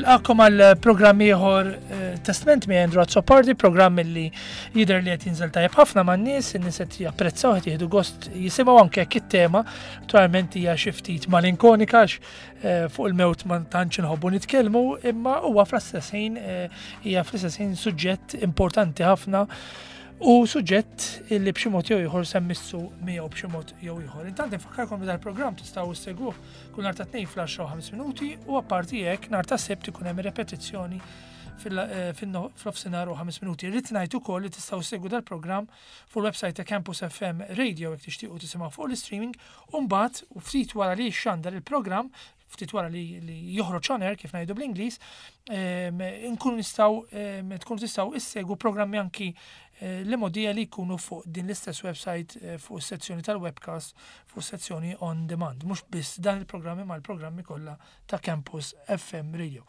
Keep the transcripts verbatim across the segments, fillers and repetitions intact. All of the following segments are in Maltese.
Nilqagħkom għal programm ieħor eh, Testment mi Andrew Azzopardi, programm li jidher li qed jinżel tajjeb ħafna man-nies, in-nies qed japprezzaw, qed jieħdu gost jisimgħu, anke jekk it-tema naturalment hija xi ftit malinkonika għax eh, fuq il-mewt ma tantx inħobbu nitkellmu, imma huwa fl-istess ħin eh, hija fl-istess ħin suġġett importanti ħafna u suġġett li b'xi mod jew ieħor se mmissu miegħu b'xi mod jew ieħor. Intant infakkarkom li dal-programm tistgħu ssegwuh kull nhar ta' Tnejn fl-għaxra u ħames minuti u apparti hekk nhar ta' Sibt ikun hemm repetizzjoni fil-nofsinhar u ħames minuti. Irrid ngħid ukoll li tistgħu ssegwu dal-programm fuq il-website ta' Campus F M Radio jekk tixtiequ tisimgħu fuq l-streaming, u mbagħad u ftit wara li xandar il-programm, ftit wara li, li joħroġ on air, kif ngħidu bl-Ingliż, nkunu nistgħu tkunu tistgħu issegwu programmi anki eh, li modija li jkunu fuq din l-istess website eh, fuq is-sezzjoni tal-webcast, fuq sezzjoni on demand. Mhux biss dan il-programmi ma l-programmi kollha ta' Campus F M Radio.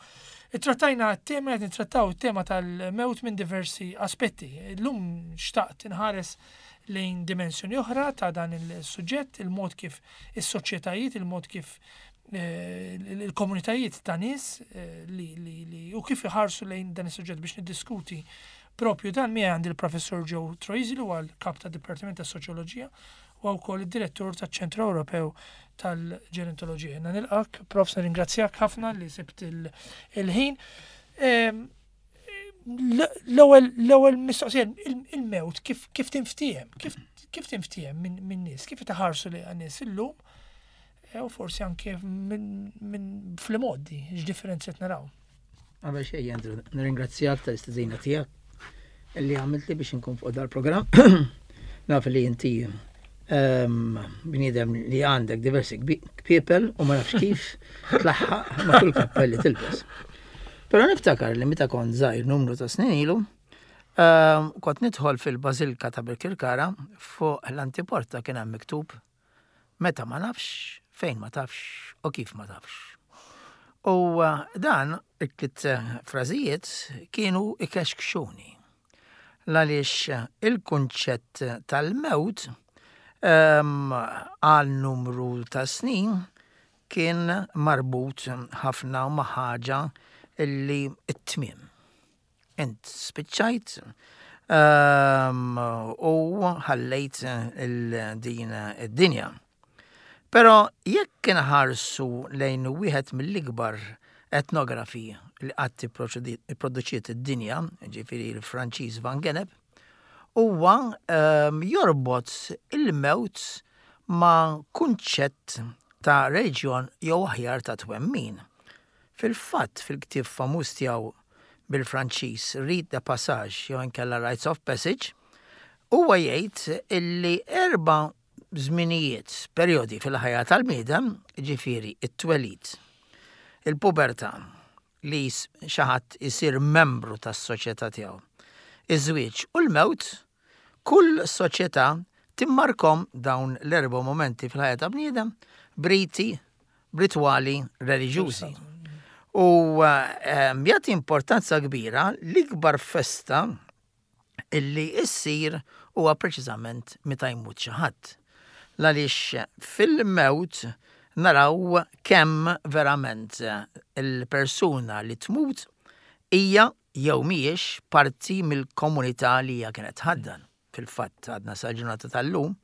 Trattajna t-tema, qed nittrattaw it-tema tal-mewt minn diversi aspetti. Illum xtaqt inħares lejn dimensjoni oħra ta' dan il-suġġett, il-mod kif is-soċjetajiet, il-mod kif eh, il-komunitajiet ta' nies eh, li, li, li u kif iħarsu lejn dan is-suġġett. Biex niddiskuti propju dan miegħi għandi il-Professur Joe Troisi, li huwa l-kap ta' Dipartiment ta' Soċjoloġija u wkoll id-direttur taċ-Ċentru Ewropew tal-Ġerontoloġija. Jiena nilqgħek, Prof, nirringrazzjak ħafna li sibt il-ħin. L-ewwel l-ewwel mistoqsija, il-mewt kif kif tinftiehem, kif kif tinftiehem minn nies, kif taħarsu li nies illum u forsi anke minn fl-modi, x'differenzi qed naraw? Qabel xejn, Andrew, nirringrazzjak tal-istedina tiegħek li għamilt li biex inkun fuq dal-programm. Naf li inti ehm, bniedem li għandek diversi people u ma nafx kif tlaħħaq ma' kull kappell li tilbes. Però niftakar li meta kont żgħir, numru ta' snin ilu, ehm, kont nidħol fil-Bażilka ta' Birkirkara, fuq l-antiporta kien hemm miktub "Meta ma nafx, fejn ma tafx u kif ma tafx". U eh, dan it-tliet frażijiet kienu ikexkxuni. Għaliex il-kunċett tal-mewt ehm, għal numru ta' snin kien marbut ħafna ma' ħaġa illi it-tmiem. Int spiċċajt ehm, u ħallejt il-din id-dinja. Però jekk inħarsu lejn wieħed mill-ikbar etnografi li qatt ipproduċiet id-dinja, ġifieri l-Franċiż Van Gennep, huwa um, jorbot il-mewt ma' kunċett ta' reliġjon jew aħjar ta' twemmin. Fil-fatt, fil-ktieb famuż tiegħu bil-Franċiż Rites de Passage jew inkella Rites of Passage, huwa jgħid illi erba' żminijiet, perjodi fil-ħajja tal-bniedem, ġifieri it-twelid, il-pubertà, li xi ħadd isir membru tas-soċjetà tiegħu, iż-żwieġ u l-mewt, kull soċjetà timmarkom dawn l-erba' momenti fil-ħajja ta' bniedem b'riti, b'ritwali reliġjużi. U ehm, jagħti importanza kbira, l-ikbar festa illi issir huwa preċiżament meta jmut xi ħadd. Għaliex fil-mewt naraw kemm verament il-persuna li tmut hija jew mhijiex parti mill-komunità li hija kienet ħaddan. Fil-fatt, għadna sal-ġurnata tal-lum,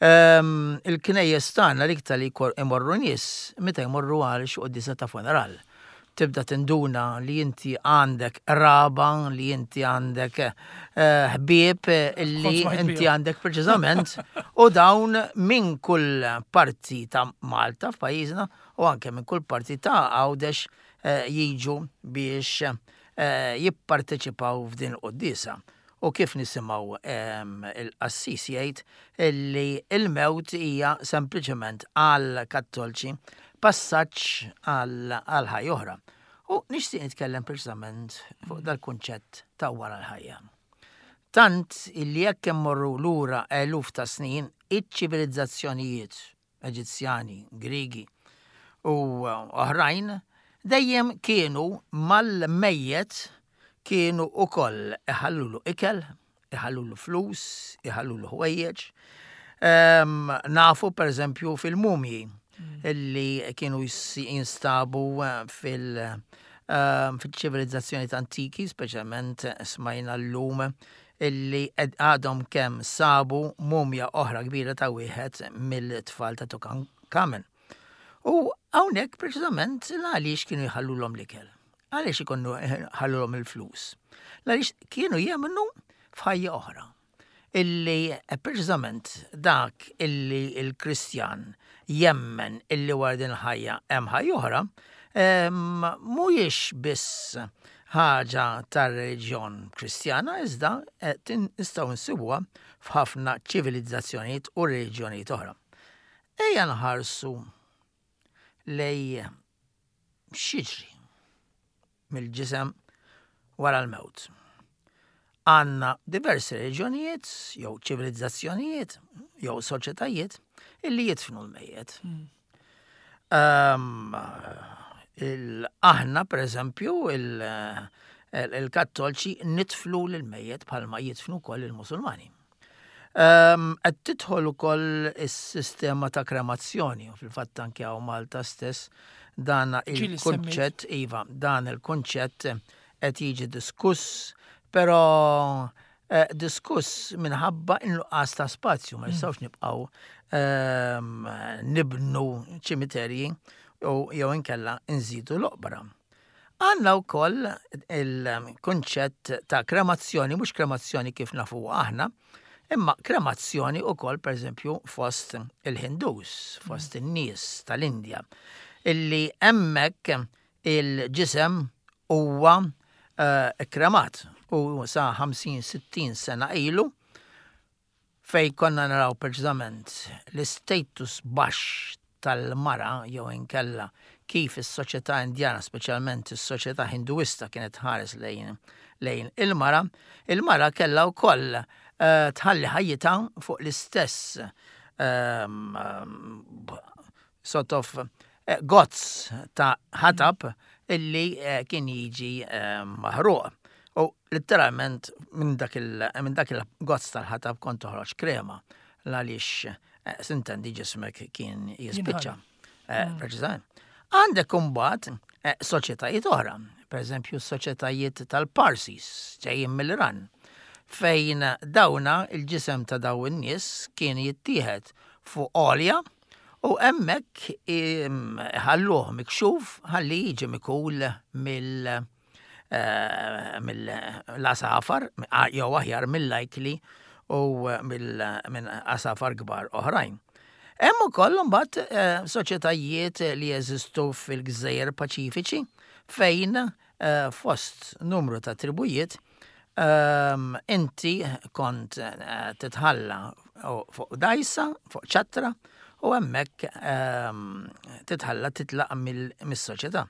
ehm, il-knejjes tagħna l-iktar li imorru nies meta jmorru għal xi quddiesa ta' funeral. Tibda tinduna li inti għandek raba, li inti għandek eh, ħbieb li inti għandek preċiżament, u dawn minn kull parti ta' Malta, f'pajjiżna, u anke minn kull parti ta' Għawdex eh, jiġu biex eh, jipparteċipaw f'din il-quddiesa. U kif nisimgħu il-qassis jgħid illi il-mewt hija sempliċement għal kattolċi passaġġ għal ħajja oħra. U nixtieq nitkellem preċiżament fuq dal-kunċett ta' wara l-ħajja. Tant illi jekk immorru lura eluf ta' snin, iċ-ċivilizzazzjonijiet Eġizzjani, Grigi u oħrajn dejjem kienu mal-mejjet kienu ukoll iħallulu ikel, iħallulu flus, iħallulu ħwejjeġ. Um, nafu per eżempju fil-mumji illi kienu jinstabu fil- um, fil-ċivilizzazzjoni antiki, speċjalment smajna l-lum illi għadhom kemm sabu mumja oħra kbira ta' wieħed mill-tfal ta' Tutankhamen. U hawnhekk preċiżament għaliex kienu jħallulhom l-ikel. Għaliex ikunu ħallulhom il-flus. Għaliex kienu jemmnu f'ħajja oħra. Illi eh, preċiżament dak illi il-Kristjan jemmen illi wara din il-ħajja hemm ħajja oħra, mhuwiex biss ħaġa tar-reliġjon Kristjana iżda eh, nistgħu nsibuha f'ħafna ċivilizzazzjonijiet u reliġjonijiet oħra. Ejja nħarsu lejn x'jiġri mill-ġisem wara l-mewt. Għandna diversi reliġjonijiet, jew ċivilizzazzjonijiet, jew soċjetajiet illi jidfnu l-mejjet. Um, aħna, per eżempju, il-Kattolċi nidfnu l-mejjet bħalma jidfnu wkoll il-Musulmani. Qed tidħol ukoll is-sistema ta' kremazzjoni u fil-fatt anke hawn Malta stess dan il-kunċett, iva, dan il-kunċett qed jiġi diskuss, però eh, diskuss minħabba in-nuqqas ta' spazju, ma nistgħux nibqgħu ehm, nibnu ċimiterji u jew inkella nżidu l-oqbra. Għandna wkoll il-kunċett ta' kremazzjoni, mhux kremazzjoni kif nafu aħna, imma kremazzjoni wkoll pereżempju fost il-Hindus, fost in-nies tal-Indja, illi hemmhekk il-ġisem huwa uh, kremat u sa ħamsin sittin sena ilu fej konna naraw preċiżament l-status baxx tal-mara jew inkella kif is-soċjetà Indjana, speċjalment is-soċjetà Hinduista, kienet ħares lejn lejn il-mara, il-mara kellha wkoll uh, tħalli ħajjitha fuq l-istess um, sort of eh, gozz ta' ħatab illi eh, kien jiġi eh, maħruq. U letteralment minn dak il-gozz tal-ħatab kont toħroġ krema għaliex eh, s'intendi ġismek kien jispiċċa. Mm. Preċiżament. Għandek imbagħad soċjetajiet oħra, per eżempju soċjetajiet tal-Parsis ġejjin mill-Iran, fejn dawna il-ġisem ta' daw in-nies kien jittieħed fuq għolja u hemmhekk ħalluh mikxuf ħalli jiġi mikul mill eh, mill-għasafar, jew aħjar mill-ajkli u minn għasafar kbar oħrajn. Hemm ukoll imbagħad eh, soċjetajiet li jeżistu fil-Gżejjer Paċifiċi fejn eh, fost numru ta' tribujiet ehm, inti kont titħalla fuq dajsa, fuq ċattra, u hemmhekk ehm, titħalla titlaq mis-soċjetà.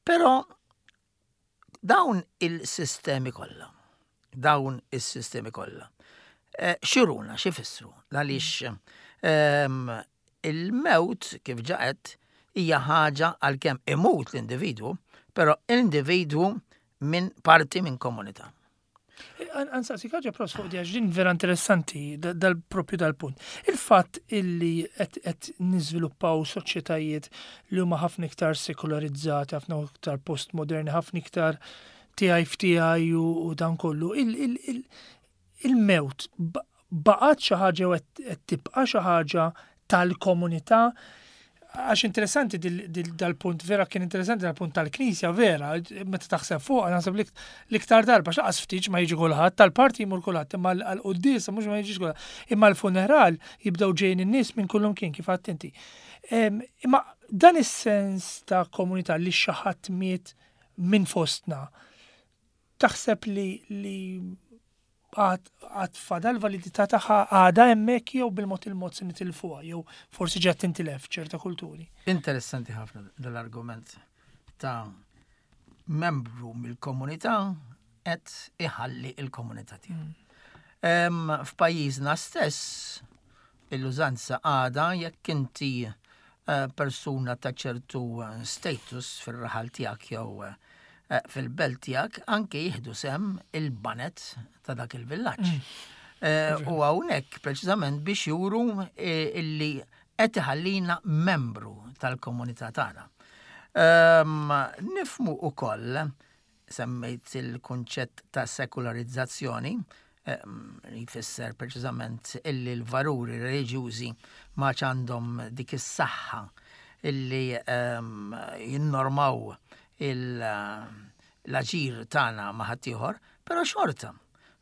Però dawn il-sistemi kollha, dawn is-sistemi kollha, eh, x'juruna, x'ifissru, għaliex ehm, il-mewt kif ġaqet hija ħaġa għalkemm imut l-individwu, però l-individwu minn parti minn komunità. Ħa nsaqsik ħaġa pros fuq di, din vera interessanti dal-propju dal-punt. Il-fatt illi qed niżviluppaw soċjetajiet li huma ħafna iktar sekularizzati, ħafna iktar postmoderni, ħafna iktar tiegħi f'tiegħi u dan kollu. Il-mewt baqgħet xi ħaġa u qed tibqa' xi ħaġa tal-komunità, għax interessanti dal-punt, vera kien interessanti dal-punt tal-Knisja, vera, meta taħseb fuq, naħseb l-iktar darba, x'laqas ftit ma jiġi kulħadd, tal-party jmur kulħadd, imma l-quddiesa mhux ma jiġix kulħadd. Imma l-funeral jibdew ġejjin in-nies minn kullum kien kif għedt inti. Imma dan is-sens ta' komunità li xi ħadd miet minn fostna, taħseb li li għad fadal validità tagħha, għadha hemmhekk, jew bil-mod il-mod se nitilfuha jew forsi ġat tintilef ċerta kulturi? Interessanti ħafna dal-argument ta' membru mill-komunità qed iħalli il-komunità tiegħu. Mm. F'pajjiżna stess il-użanza għada jekk inti eh, persuna ta' ċertu status fir-raħal tiegħek jew eh, fil-belt tiegħek, anke jieħdu sehem il-baned ta' dak il-villaġġ. Mm. Eh, u hawnhekk preċiżament biex juru illi qed iħallina membru tal-komunità tagħna. Um, nifhmu ukoll, semmejt il-kunċett ta' sekularizzazzjoni, li jfisser preċiżament illi l-valuri reliġjużi ma għandhom dik is-saħħa illi um, jinnormaw l-aġir tagħna ma' ħaddieħor, però xorta.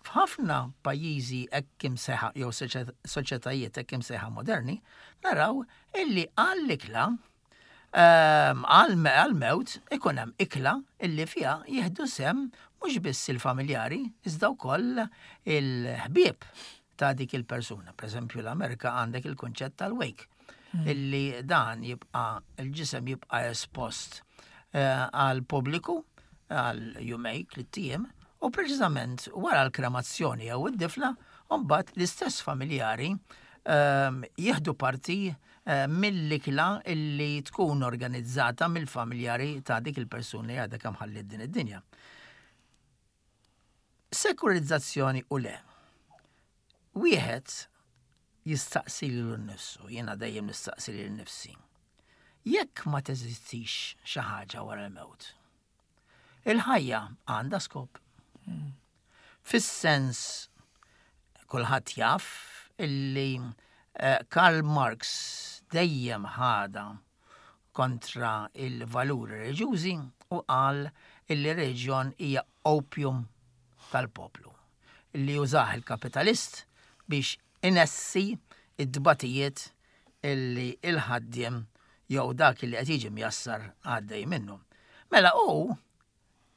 F'ħafna pajjiżi hekk imsejħa jew soċjetajiet hekk imsejħa moderni, naraw illi għall-ikla għal-mewt ikun hemm ikla illi fiha jieħdu sehem mhux biss il-familjari, iżda wkoll il-ħbieb ta' dik il-persuna. Per eżempju, l-Amerika għandek il-kunċett tal-wake, mm. illi dan jibqa' il-ġisem jibqa' espost eh, għal pubbliku għal jumejn, tlett ijiem, u preċiżament wara l-kremazzjoni jew id-difna, mbagħad l-istess familjari ehm, jieħdu parti eh, mill-ikla illi tkun organizzata mill-familjari ta' dik il-persuna li għadha kemm ħalliet din id-dinja. Sekularizzazzjoni u le. Wieħed jistaqsi lilu nnifsu, jiena dejjem nistaqsi lili nnifsi. Jekk ma teżistix xi ħaġa wara l-mewt, il-ħajja għandha skop. Fis-sens kulħadd jaf illi eh, Karl Marx dejjem ħadha kontra il-valuri reliġjużi u qal illi reliġjon hija opium tal-poplu. Illi jużah il-kapitalist biex inessi id-dbatijiet illi il-ħaddiem jew dak li qed jiġi mjassar għaddej minnu. Mela u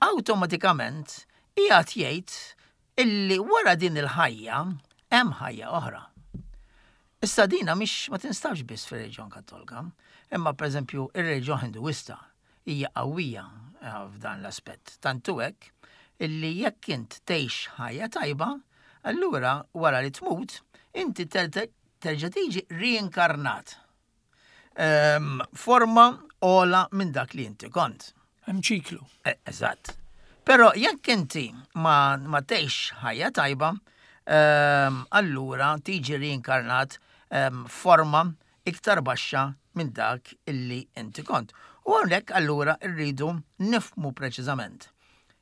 awtomatikament qiegħed jgħid illi wara din il-ħajja hemm ħajja oħra. Issa dina mhix ma tinstabx biss fir-reliġjon Kattolika, imma pereżempju ir-reliġjon Hinduista hija qawwija eh, f'dan l-aspett. Tantu hekk illi jekk int tgħix ħajja tajba, allura wara li tmut, inti terġa' tiġi reinkarnat. Um, forma ogħla minn dak li inti kont. Hemm ċiklu. Eh, eżatt. Però jekk inti ma, ma tgħix ħajja tajba, um, allura tiġi reinkarnat um, forma iktar baxxa minn dak illi inti kont. U hawnhekk allura rridu nifhmu preċiżament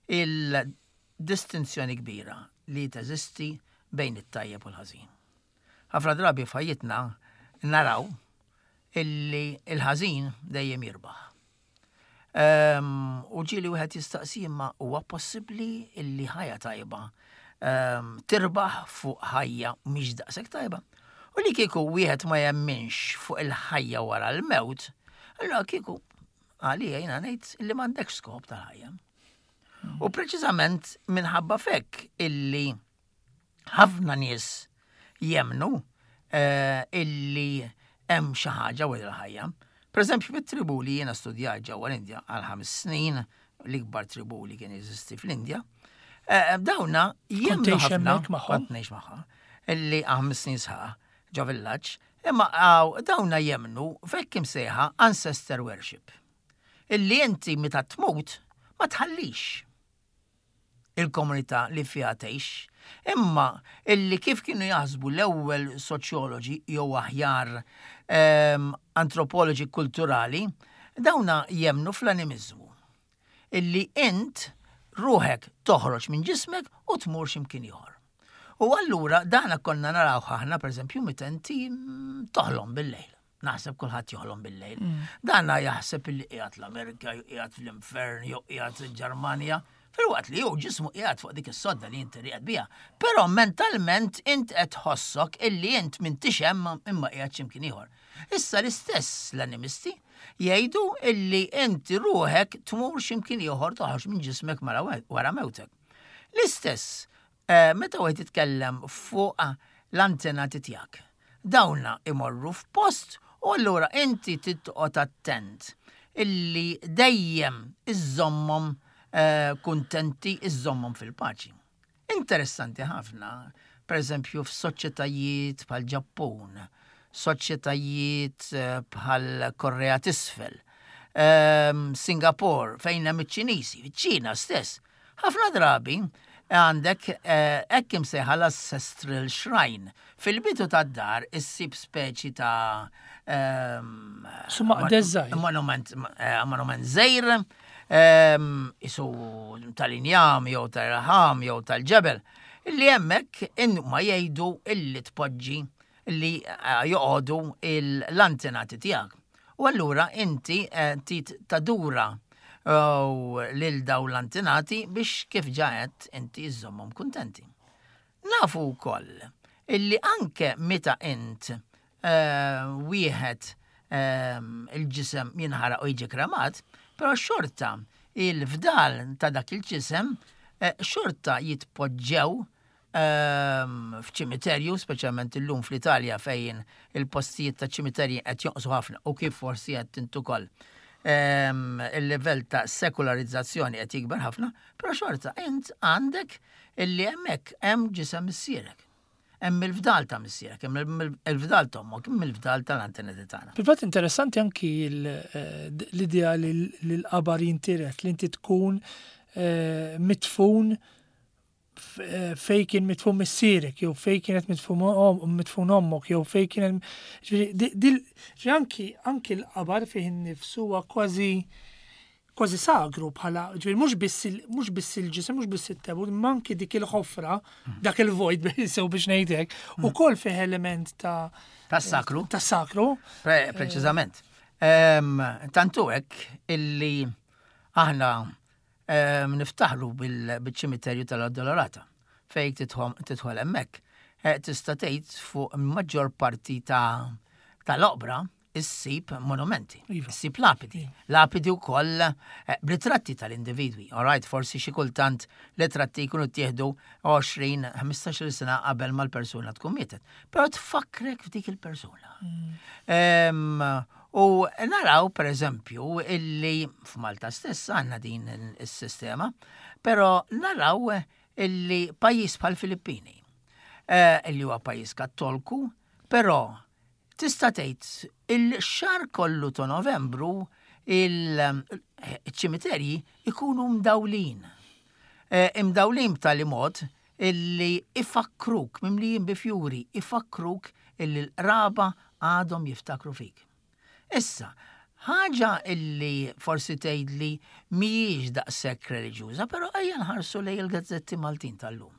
il-distinzjoni kbira li teżisti bejn it-tajjeb u l-ħażin. Ħafna drabi f'ħajjitna naraw illi il-ħażin dejjem jirbaħ. Um, u ġieli wieħed jistaqsi imma huwa possibbli illi ħajja tajba um, tirbaħ fuq ħajja mhix daqshekk tajba. U li kieku wieħed ma jemminx fuq il-ħajja wara l-mewt, allura kieku għalija jiena ngħid illi m'għandekx skop tal-ħajja. U preċiżament minħabba f'hekk illi ħafna nies jemmnu uh, illi hemm xi ħaġa wara l-ħajja. Per eżempju, fit-tribu li jiena studjat ġewwa l-Indja għal ħames snin, l-ikbar tribu li kien jeżisti fl-Indja, eh, dawna jemmnu ħafna, kont ngħix magħha, illi ħames snin sħaħ ġo villaġġ, imma dawna jemmnu f'hekk imsejħa ancestor worship. Illi inti meta tmut ma tħallix il-komunità li fiha tgħix, imma illi kif kienu jaħsbu l-ewwel soċjoloġi jew aħjar um, antropoloġi kulturali, dawna jemmnu fl-animizmu. Illi int ruħek toħroġ minn ġismek u tmur x'imkien ieħor. U allura dana konna naraw aħna pereżempju meta inti toħlom bil-lejl. Naħseb kulħadd joħlom bil-lejl. Mm. Dana jaħseb illi qiegħed l-Amerika, jew qiegħed fl-infern, jew qiegħed il-Ġermanja. Filwaqt li jew ġismu qiegħed fuq dik is-sodda li inti rieqed biha. Però mentalment int qed tħossok illi int m'intix hemm imma qiegħed x'imkien ieħor. Issa l-istess l-animisti jgħidu illi inti ruħek tmur x'imkien ieħor toħroġ minn ġismek wara mewtek. L-istess eh, meta wieħed jitkellem fuq l-antenati tiegħek. Dawna imorru f'post u allura inti titqgħod attent illi dejjem iżommhom eh, kuntenti iżommhom fil-paċi. Interessanti ħafna, per eżempju f'soċjetajiet bħal Ġappun, soċjetajiet eh, bħal Korea t'Isfel, ehm, Singapore, fejn hemm iċ-Ċiniżi, iċ-Ċina stess. Ħafna drabi Għandek eh, hekk imsejħa l-Ancestral Shrine. Fil-bidu tad-dar issib speċi ta' ehm, Summa mon- deżgħir. Monument, eh, monument żgħir, ehm, isu tal-injam jew tal-ħam jew tal-ġebel, illi hemmhekk ma jgħidu illi tpoġġi li eh, joqogħdu l-antenati tiegħek. U allura inti eh, tit tadura u lil daw l-antenati biex kif ġajet inti iżommhom kuntenti. Nafu wkoll illi anke meta int eh, wieħed eh, il-ġisem jinħaraq u jiġi kremat, però xorta il-fdal ta' dak il-ġisem eh, xorta jitpoġġew ehm, f'ċimiterju, speċjalment illum fl-Italja fejn il-postijiet ta' ċimiterji qed jonqsu ħafna u kif forsi qed int ukoll. Ehm, il-livell ta' sekularizzazzjoni qed jikber ħafna, però xorta int għandek illi hemmhekk hemm ġisem missierek. Hemm il-fdal ta' missierek, hemm il-fdal t'ommok, hemm il-fdal tal-antenati tagħna. Fil-fatt interessanti anki l- eh, l-idea li li l-qabar jintiret, li inti tkun eh, mitfun f- eh, fej kien mitfun missierek, jew fej kienet mitfun om- mitfun ommok, jew fej kienet. Ġifieri, di- dil- ġifieri anki anki l-qabar fih innifsu huwa kważi kważi sagru bħala, ġifieri mhux biss il- mhux biss il-ġisem, mhux biss it-tebut, imma anki dik il-ħofra, dak il-vojt sew biex ngħidlek, ukoll fih element ta' Tas-sakru. ta' sakru. Pre preċiżament. Ehm, Tantu hekk illi aħna ehm, niftaħru bil- bil-ċimiterju tal-Addolorata fejn tidħol tidħol hemmhekk. Eh, Tista' tgħid fuq maġġor parti ta' tal-oqbra issib monumenti, Iva. issib lapidi. Lapidi wkoll eh, b'ritratti tal-individwi. All right, forsi xi kultant ritratti jkunu ttieħdu għoxrin, ħmistax-il sena qabel ma l-persuna tkun mietet. Però tfakkrek f'dik il-persuna. Em, U naraw, per eżempju, illi f'Malta stess għandna din il-sistema, però naraw illi pajjiż bħal Filippini, eh, illi huwa pajjiż kattolku, però tista' tgħid il-xahar kollu ta' Novembru il-ċimiterji ikunu mdawlin. Eh, Imdawlin b'tali mod illi ifakkruk, mimlijin bi fjuri, ifakkruk illi l-qraba għadhom jiftakru fik. Issa, ħaġa illi forsi tgħidli mhijiex daqshekk reliġjuża, però ejja nħarsu lejn il-gazzetti Maltin tal-lum.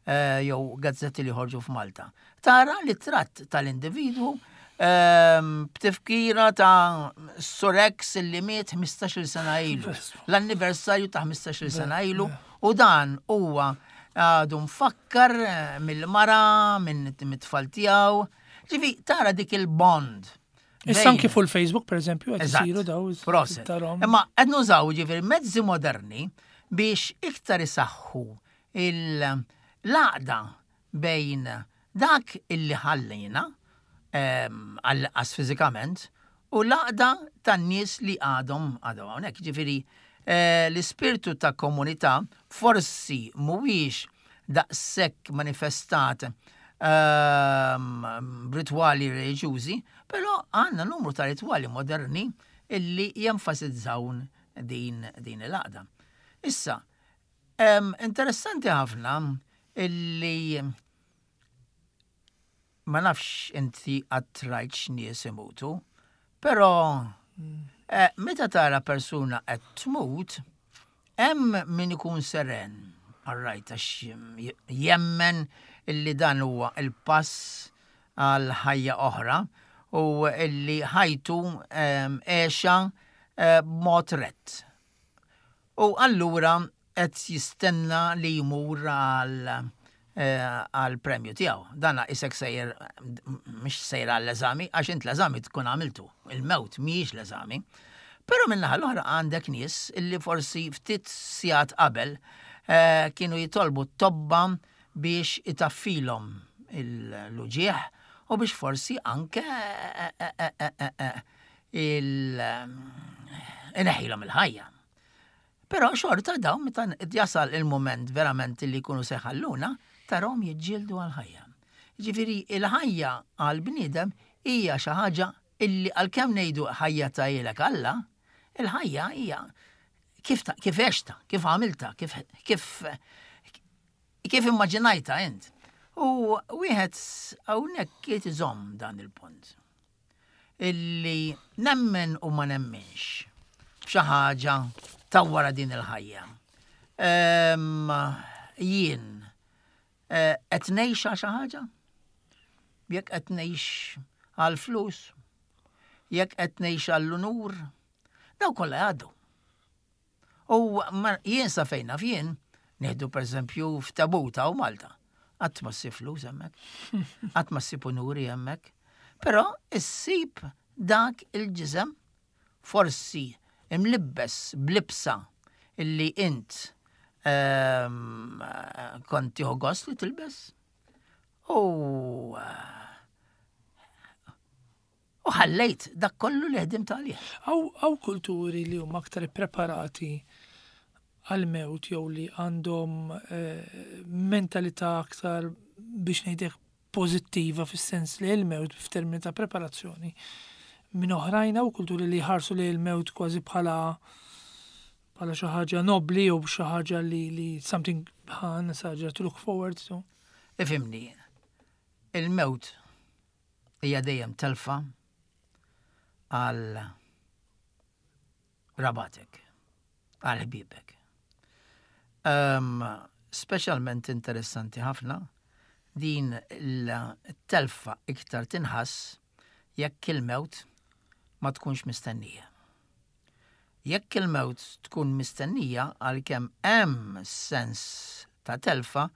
Eh, jew gazzetti li ħorġu f'Malta. Tara li tratt tal-individwu ehm, b'tifkira ta' Sur X illi miet ħmistax-il sena ilu. L-anniversarju ta' ħmistax-il sena ilu u dan huwa għadu mfakkar eh, mill-mara, minn mit-tfal tiegħu. Ġifi, tara dik il-bond. Issa anki fuq il-Facebook, per eżempju, qed Eżatt. isiru daw Proset. tarahom. Imma qed nużaw ġifieri mezzi moderni biex iktar isaħħu l-għaqda bejn dak illi ħallejna ehm, għall-qas fiżikament u l-għaqda tan-nies li għadhom għadhom hawnhekk. Ġifieri eh, l-ispirtu ta' komunità forsi mhuwiex daqshekk manifestat ehm, b'ritwali reliġjużi, però għandna numru ta' ritwali moderni illi jenfasizzaw din, din il-għaqda. Issa, em, interessanti ħafna illi ma nafx inti qatt rajtx nies imutu, però eh, meta tara persuna qed tmut, hemm min ikun seren, all right, għax jemmen illi dan huwa il-pass għal ħajja oħra u illi ħajtu em, għexha eh, b'mod rett. U allura qed jistenna li jmur għal eh, għal premju tiegħu. Dana isek sejjer mhix sejjer għall-eżami għax int l-eżami tkun għamiltu. Il-mewt mhijiex l-eżami. Però min-naħa l-oħra għandek nies illi forsi ftit sigħat qabel eh, kienu jitolbu t-tobba biex itaffilhom l-uġieħ u biex forsi anke eh, eh, eh, eh, eh, il ineħħilhom il-ħajja. Però xorta dawn meta jasal il-moment verament li jkunu se jħalluna, tarahom jiġġieldu għal-ħajja. Ġifieri il-ħajja għal-bniedem hija xi ħaġa illi għalkemm ngħidu ħajja tahielek Alla, il-ħajja hija kif ta, kif għexta, kif għamilta, kif kif Kif immaġinajta int? U wieħed hawnhekk irid iżomm dan il-punt. Illi nemmen u ma nemminx f'xi ħaġa ta' wara din il-ħajja. Em, Jien eh, qed ngħix għal xi ħaġa? Jekk qed ngħix għal flus, jekk qed ngħix għall-unur, daw kollha jgħaddu. U ma- jien sa fejn naf jien, nieħdu pereżempju f'Tabuta u Malta. Qatt ma ssib flus hemmhekk, qatt ma ssib unuri hemmhekk, però issib dak il-ġisem forsi imlibbes b'libsa illi int ehm, kont tieħu gost li tilbes. U u ħallejt dak kollu li ħdimt għalih. Hawn hawn kulturi li huma aktar preparati għal-mewt jew li għandhom eh, mentalità aktar biex ngħidlek pożittiva fis-sens li l-mewt f'termini ta' preparazzjoni minn oħrajn hawn kulturi li jħarsu li l-mewt kważi bħala bħala xi ħaġa nobli jew xi ħaġa li li something ħan ħaġa to look forward to. Ifhimni, il-mewt hija dejjem telfa għal qrabatek, għal ħbibek. Um, Speċjalment interessanti ħafna din il-telfa iktar tinħass jekk il-mewt ma tkunx mistennija. Jekk il-mewt tkun mistennija għalkemm hemm sens ta' telfa,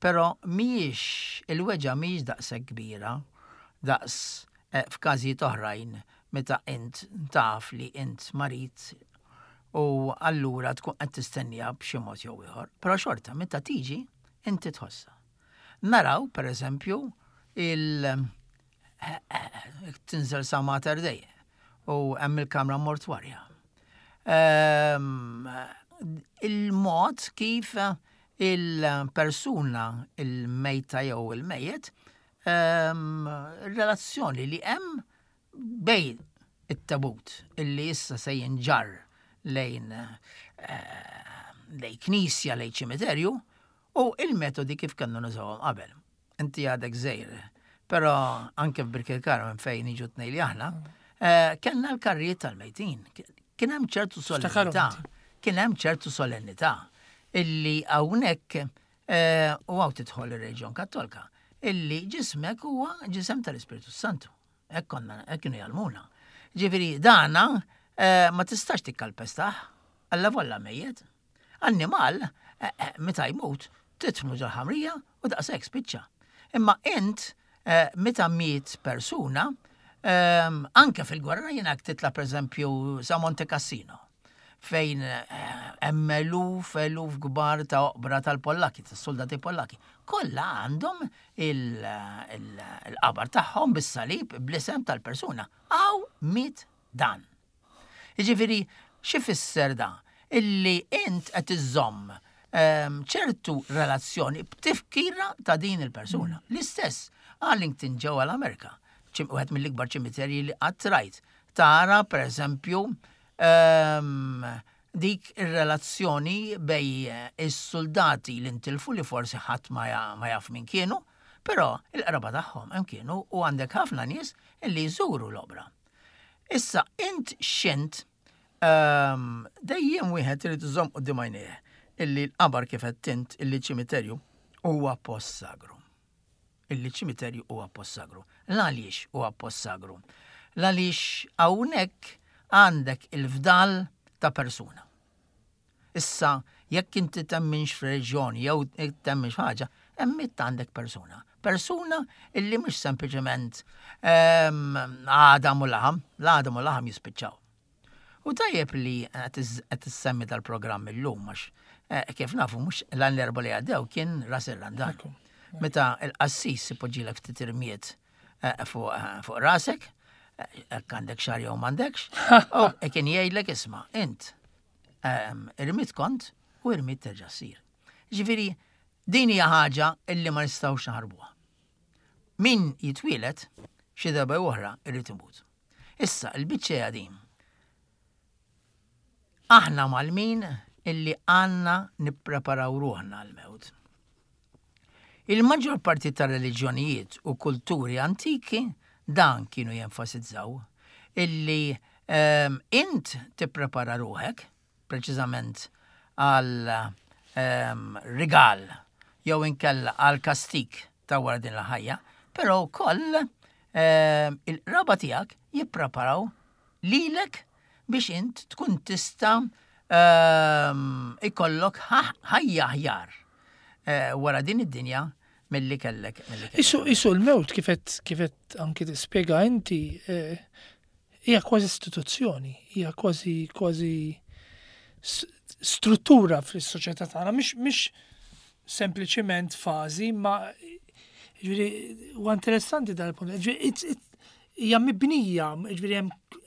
però mhijiex il-weġgħa mhijiex daqshekk kbira daqs eh, f'każijiet oħrajn meta int taf li int marid u allura tkun qed tistennija b'xi mod jew ieħor. Però xorta meta tiġi inti tħossha. Naraw pereżempju il tinżel sa Mater Dei u hemm il-kamra mortwarja. Ehm, Il-mod kif il-persuna il-mejta jew il-mejjet, ehm, relazzjoni li hemm bejn it-tabut illi issa se jinġarr lejn eh, lejn knisja, lejn ċimiterju u il-metodi kif kienu nużawhom qabel. Inti għadek żgħir, però anke f'Birkirkara minn fejn niġu tnejn li aħna, eh, kellna l-karrijiet tal-mejtin. Kien hemm ċertu solennità. Kien hemm ċertu solennità illi hawnhekk eh, u hawn tidħol ir-Reġjon Kattolka, illi ġismek huwa ġisem tal-Ispiritu Santu. Hekk konna hekk kienu jgħallmuna. Ġifieri dana eh, ma tistax tikkalpestah, alla volla mejjet. Annimal, eh, eh, meta jmut, titfnu ġol-ħamrija u daqshekk spiċċa. Imma int, eh, meta miet persuna, ehm, anke fil-gwerra jiena titla' pereżempju sa Monte Cassino, fejn eh, hemm eluf eluf kbar ta' oqbra tal-Pollaki, tas-soldati Pollaki. Kollha għandhom il- il- il-qabar tagħhom bis-salib bl-isem tal-persuna. Hawn miet dan. Jiġifieri, x'ifisser da? Illi int qed iżżomm ehm, ċertu relazzjoni b'tifkira ta' din il-persuna. L-istess Arlington ġewwa l-Amerika, ċim- wieħed mill-ikbar ċimiterji li qatt rajt. Tara, per eżempju, ehm, dik ir-relazzjoni bejn is-soldati li ntilfu li forsi ħadd ma ja- ma jaf min kienu, però il-qraba tagħhom hemm kienu u għandek ħafna nies illi jżuru l-oqbra. Issa, int xint um, dejjem wieħed irid iżomm quddiem għajnejh illi l-qabar kif qed int illi ċimiterju huwa post sagru. Illi ċimiterju huwa post sagru. L-għaliex huwa post sagru? L-għaliex hawnhekk għandek il-fdal ta' persuna. Issa, jekk inti temminx f'reġjoni jew temminx ħaġa, hemmhekk għandek persuna. Persuna illi mhux sempliċement ehm, għadam u laħam, l-għadam u laħam jispiċċaw. U tajjeb li qed issemmi dal-programm illum għax eh, kif nafu mhux l l-erba li għaddew kien Ras ir-Randan. Ekku. Meta il-qassis ipoġġilek ftit irmiet eh, fuq eh, fuq rasek, eh, jekk għandek xagħar jew m'għandekx, u kien jgħidlek isma' int ehm, irmied kont u irmied terġa' ssir. Ġifieri, din hija ħaġa illi ma nistgħux naħarbuha. Min jitwielet xi darba oħra irrid imut. Issa, il-biċċa hija din. Aħna mgħallmin illi għandna nippreparaw ruħna għal-mewt. Il-maġġor parti ta' reliġjonijiet u kulturi antiki dan kienu jenfasizzaw illi um, int tipprepara ruħek preċiżament għal um, rigal jew inkella għal kastik ta' wara din il-ħajja, però wkoll um, il-qraba tiegħek jippreparaw lilek biex int tkun tista' um, ikollok ħajja aħjar uh, wara din id-dinja milli kellek. Isu, isu l-mewt kifet kifet anki tispjega inti eh, hija kważi istituzzjoni, hija kważi kważi struttura fis-soċjetà tagħna, mhix mhix sempliċiment fażi, ma ġifieri huwa interessanti dal-punt. Ġifieri hija mibnija, ġifieri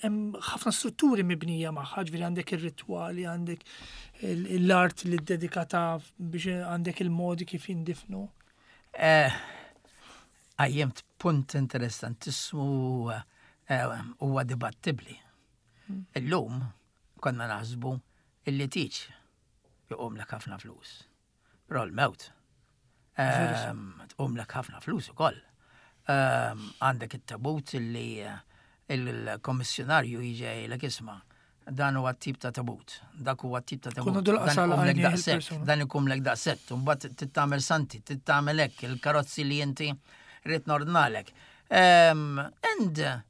hemm ħafna strutturi mibnija magħha, ġifieri għandek ir-ritwali, għandek l-art li dedikata biex għandek il-modi kif jindifnu. Qajjimt punt interessantissimu huwa dibattibli. Illum konna naħsbu illi tieġ jqumlek ħafna flus. Però l-mewt tqumlek ħafna flus ukoll. Għandek it-tabut illi il-kommissjonarju jiġi jgħidlek, "Isma', dan huwa tip ta' tabut, dak huwa tip ta' tabut. Dan iqumlek daqshekk, dan iqumlek daqshekk, u mbagħad trid tagħmel santi, trid tagħmel hekk, il-karozzi li inti rrid nordnalek." And uh,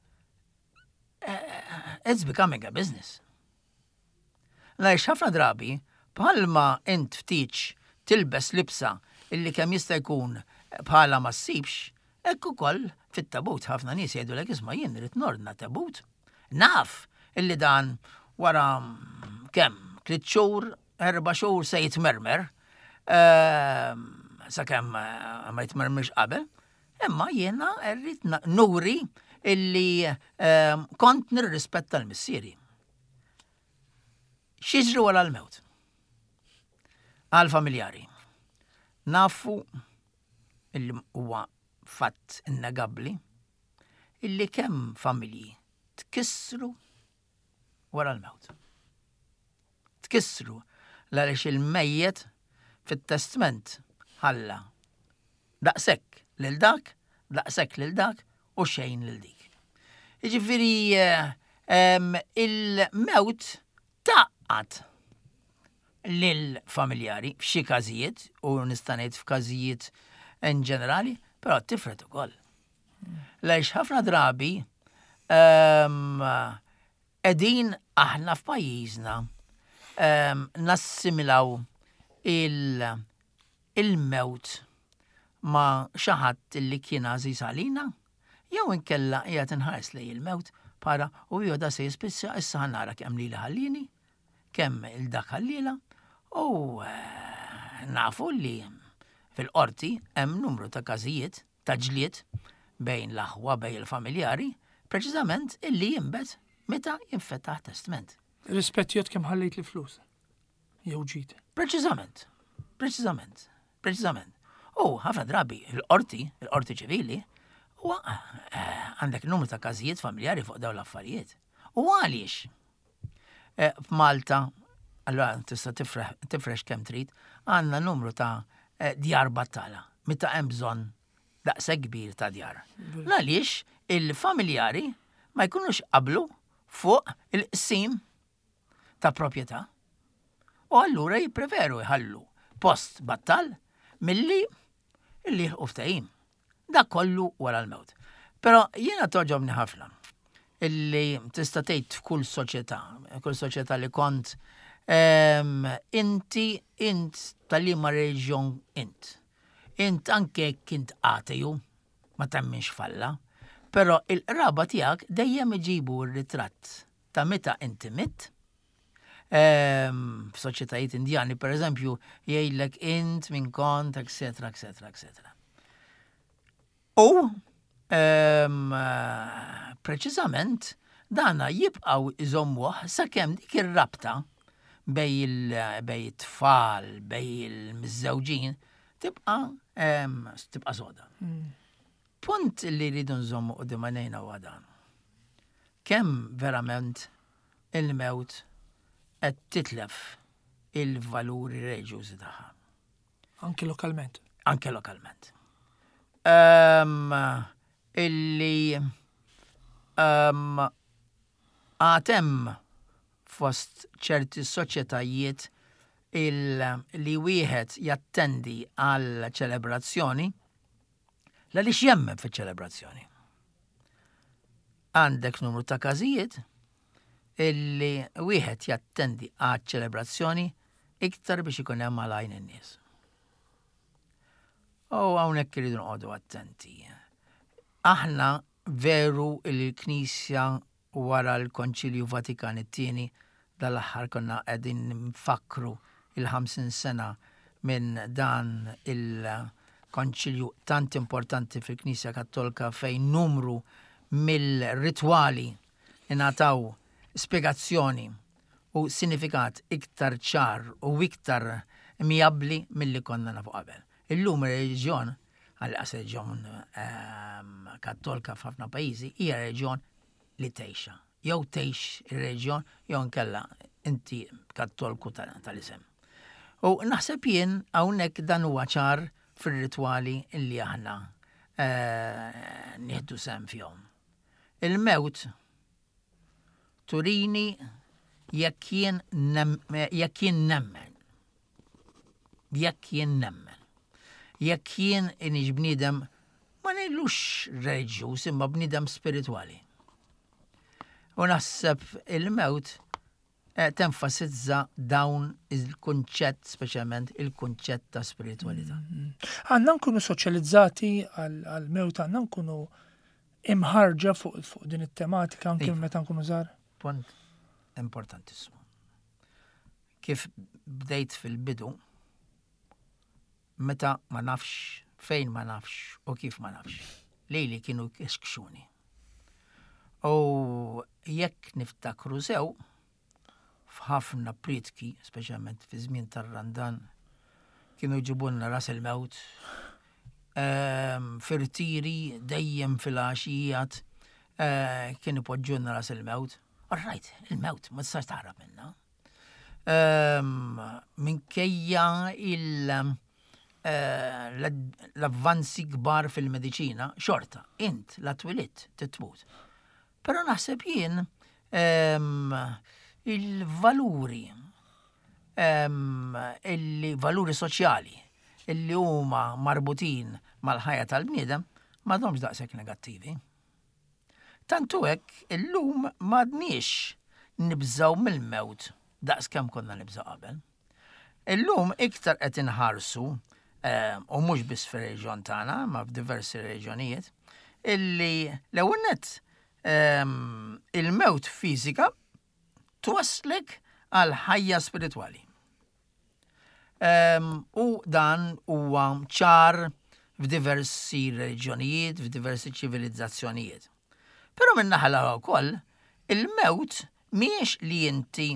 it's becoming a business. Għaliex ħafna drabi, bħalma int ftit tilbes libsa illi kemm jista' jkun bħala ma ssibx, hekk ukoll fit-tabut ħafna nies jgħidulek, "Isma', jien rrid nordna tabut. Naf illi dan wara kemm tliet xhur, erba' xhur se jitmermer, ehm, sakemm ma jitmermerx qabel, imma jiena rrid nuri illi ehm, kont nirrispetta l-missieri." X'jiġri wara l-mewt? Għal-familjari. Nafu illi huwa fatt innegabbli illi kemm familji tkissru wara l-mewt. Tkissru għaliex il-mejjet fit-testament ħalla daqshekk lil dak, daqshekk lil dak u xejn lil dik. Jiġifieri il-mewt tgħaqqad lil-familjari f'xi każijiet u nista' ngħid f'każijiet in ġenerali, però tifred ukoll. Għaliex ħafna drabi qegħdin aħna f'pajjiżna nassimilaw il-mewt ma' xi ħadd li kien għażiż għalina, jew inkella qiegħed inħares lejn il-mewt para u jew da se jispiċċa, issa ħa nara kemm lili ħallini, kemm lil dak ħalliela, u eh, nafu li fil-qorti hemm numru ta' każijiet ta' ġlied bejn l-aħwa, bejn il-familjari, preċiżament illi jinbet meta jinfetaħ testament. Rispett jgħodd kemm ħallejt li flus. Jew ġid. Preċiżament, preċiżament, preċiżament. U ħafna drabi il-qorti, il-qorti ċivili, u eh, għandek numru ta' każijiet familjari fuq dawn l-affarijiet. U għaliex? Eh, F'Malta, allora tista' tifrex kemm trid, għandna numru ta' eh, djar battala, meta hemm bżonn daqshekk kbir ta' djar. Għaliex il-familjari ma jkunux qablu fuq il-qsim ta' proprjetà. U allura jippreferu jħallu post battal milli illi jilħqu ftehim. Dak kollu wara l-mewt. Però jiena togħġobni ħafna illi tista' tgħid f'kull soċjetà, kull soċjetà li kont em, inti int tal-liema reġjon int. Int anke kint ateju, ma temminx f'Alla, però il-qraba tiegħek dejjem iġibu r-ritratt ta' meta inti mitt. Ehm, F'soċjetajiet Indjani, per eżempju, jgħidlek int min kont, et cetera, et cetera, et cetera. U ehm, preċiżament dana jibqaw iżommuh sakemm dik ir-rabta bejn il- bejn it-tfal, bejn il-miżżewġin, tibqa' ehm, tibqa' soda. Punt li rridu nżommu quddiem għajnejna huwa dan. Kemm verament il-mewt qed titlef il-valuri reliġjużi tagħha, Anki lokalment. Anke lokalment. um, illi um, għad hemm fost ċerti soċjetajiet il li wieħed jattendi għal ċelebrazzjoni għaliex jemmen fiċ-ċelebrazzjoni. Għandek numru ta' każijiet illi wieħed jattendi għal ċelebrazzjoni iktar biex ikun hemm għal għajn in-nies. U hawnhekk irridu noqogħdu attenti. Aħna veru il-Knisja wara l-Konċilju Vatikan it-tieni, dal-aħħar konna qegħdin nfakru il-ħamsin sena minn dan il-konċilju tant importanti fil-Knisja Kattolika, fejn numru mill-ritwali ingħataw spiegazzjoni u sinifikat iktar ċar u iktar miabbli milli konna nafu qabel. Illum ir-reliġjon, għal reliġjon ehm, kattolika f'ħafna pajjiżi, hija reliġjon li tgħixha. Jew tgħix ir-reliġjon jew inkella inti kattolku tal-isem. U naħseb jien hawnhekk dan huwa ċar fir-ritwali illi aħna eh, nieħdu sehem fihom. Il-mewt turini jekk jien jekk jien nemmen. Jekk jien nemmen. Jekk jien inix bniedem, ma ngħidlux reliġjuż, imma bniedem spiritwali. U naħseb il-mewt eh, tenfasizza dawn il-kunċett, speċjalment il-kunċett ta' spiritualità. Mm-hmm. Għandna nkunu soċjalizzati għal-mewt, għandna nkunu imħarġa fuq fuq din it-tematika anke iva. meta nkunu żgħar. Punt importantissimu. Kif bdejt fil-bidu, meta ma nafx, fejn ma nafx u kif ma nafx, lili kienu kexkxuni. U jekk niftakru sew, f'ħafna prietki, speċjalment fi żmien tar-Randan, kienu jġibulna ras il-mewt, ehm, f'irtiri dejjem fil-għaxijat eh, kienu poġġulna ras il-mewt. All right, il-mewt, ma tistax taħrab minna. Ehm, minkejja il- eh, l-avvanzi kbar fil-mediċina, xorta, int la twelidt tmut. Però naħseb jien ehm, il-valuri, ehm, il-valuri soċjali illi huma marbutin mal-ħajja tal-bniedem m'għadhomx daqshekk negattivi. Tantu hekk illum m'għadniex nibżaw mill-mewt daqs kemm konna nibżaw qabel. Illum iktar qed inħarsu, eh, u mhux biss fir-reġjon tagħna, ma f'diversi reġjonijiet, illi l-ewwel nett ehm, il-mewt fiżika twaslek għal ħajja spiritwali. Ehm, u dan huwa ċar f'diversi reliġjonijiet, f'diversi ċivilizzazzjonijiet. Però min-naħa l wkoll, il-mewt mhijiex li inti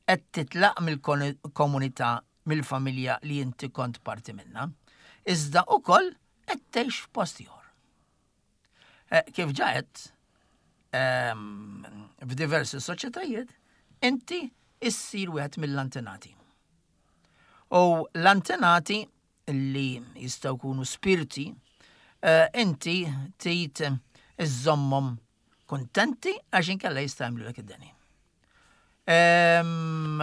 qed titlaq mill-komunità, mill-familja li inti kont parti minna, iżda ukoll qed tgħix f'post ieħor. Eh, Kif ġaet, ehm, f'diversi soċjetajiet, inti issir wieħed mill-antenati. U l-antenati li jistgħu jkunu spirti, eh, inti trid iżżommhom kontenti għax inkella jista' jagħmlu id-deni. Ehm,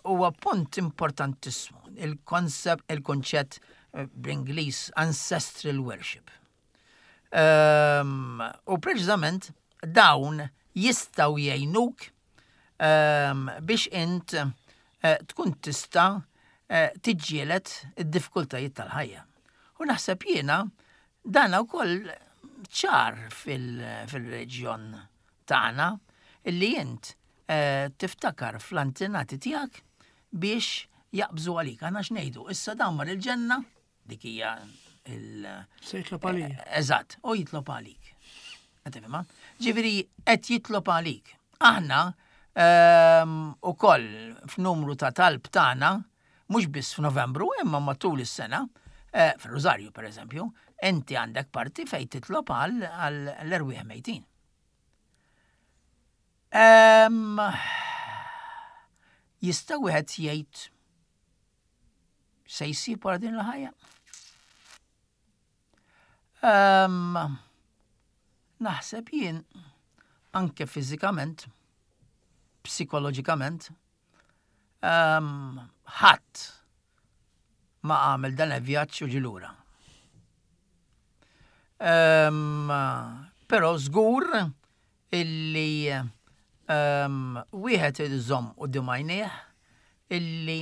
Huwa punt importantissimu il-koncept, il-konċett eh, bl-Ingliż ancestral worship. Ehm, u preċiżament dawn jistgħu jgħinuk ehm, biex int eh, tkun tista' eh, tiġġieled id-diffikultajiet tal-ħajja. U naħseb jiena dan ukoll ċar fil-reġjon tagħna illi int eh, tiftakar fl-antenati tiegħek biex jaqbżu għalik. Għandna x'ngħidu, issa dan mar il-ġenna, dik hija il- Se jitlob għalija. Eżatt, u jitlob għalik. Qed tifhimha? Ġifieri qed jitlob għalik. Aħna ehm, ukoll f'numru ta' talb tagħna, mhux biss f'Novembru, imma matul is-sena, eh, fir-Rużarju pereżempju, inti għandek parti fejn titlob għal l-erwieħ mejtin. Ehm, Jista' wieħed jgħid se jsib wara din il-ħajja? Um, naħseb jien anke fiżikament, psikoloġikament, um, ħadd ma għamel dan il-vjaġġ u ġie lura. Um, però żgur illi um, wieħed irid iżomm quddiem għajnejh illi